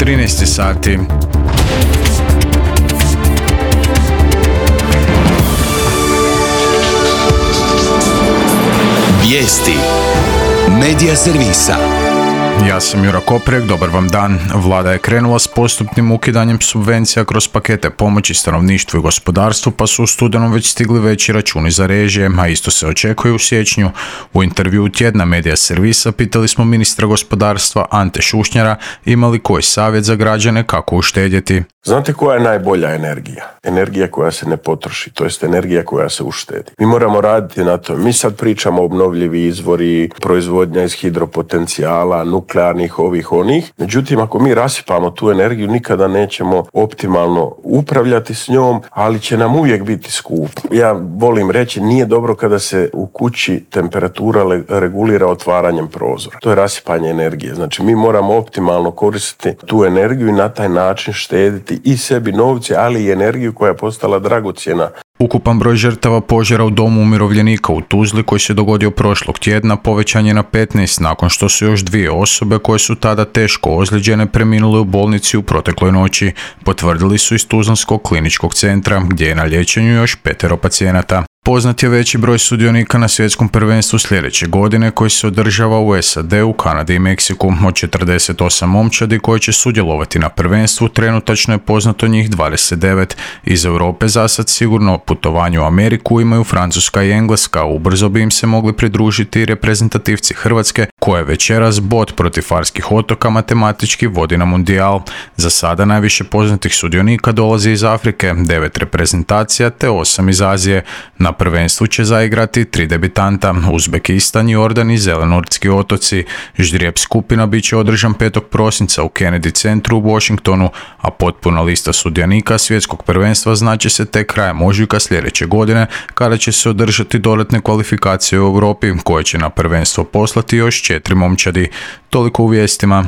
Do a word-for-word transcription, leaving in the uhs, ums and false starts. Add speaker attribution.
Speaker 1: trinaest sati.
Speaker 2: Vijesti Medija servisa.
Speaker 1: Ja sam Jura Koprek, dobar vam dan. Vlada je krenula s postupnim ukidanjem subvencija kroz pakete pomoći stanovništvu i gospodarstvu, pa su u studenom već stigli veći računi za režije, a isto se očekuje u siječnju. U intervjuu tjedna Medija servisa pitali smo ministra gospodarstva Ante Šušnjara ima li koji savjet za građane kako uštedjeti.
Speaker 3: Znate koja je najbolja energija? Energija koja se ne potroši, to jest energija koja se uštedi. Mi moramo raditi na to. Mi sad pričamo o obnovljivi izvori, proizvodnja iz hidropotencijala, nuklearnih ovih onih. Međutim, ako mi rasipamo tu energiju, nikada nećemo optimalno upravljati s njom, ali će nam uvijek biti skupo. Ja volim reći, nije dobro kada se u kući temperatura regulira otvaranjem prozora. To je rasipanje energije. Znači, mi moramo optimalno koristiti tu energiju i na taj način štediti i sebi novce, ali i energiju koja je postala dragocjena.
Speaker 1: Ukupan broj žrtava požara u domu umirovljenika u Tuzli koji se dogodio prošlog tjedna povećan je na petnaest nakon što su još dvije osobe koje su tada teško ozlijeđene preminule u bolnici u protekloj noći, potvrdili su iz Tuzlanskog kliničkog centra gdje je na liječenju još petero pacijenata. Poznat je veći broj sudionika na svjetskom prvenstvu sljedeće godine koji se održava u S A D-u, Kanadi i Meksiku. Od četrdeset osam momčadi koji će sudjelovati na prvenstvu trenutačno je poznato njih dvadeset devet. Iz Europe zasad sigurno putovanje u Ameriku imaju Francuska i Engleska, ubrzo bi im se mogli pridružiti i reprezentativci Hrvatske koje večeras bod protiv Farskih otoka matematički vodi na mundijal. Za sada najviše poznatih sudionika dolazi iz Afrike, devet reprezentacija te osam iz Azije. Na prvenstvu će zaigrati tri debitanta, Uzbekistan, Jordan i Zelenortski otoci. Ždrijeb skupina bit će održan petog prosinca u Kennedy centru u Washingtonu, a potpuna lista sudionika svjetskog prvenstva znači se tek krajem ožujka sljedeće godine, kada će se održati dodatne kvalifikacije u Europi, koje će na prvenstvo poslati još četiri momčadi. Toliko u vijestima.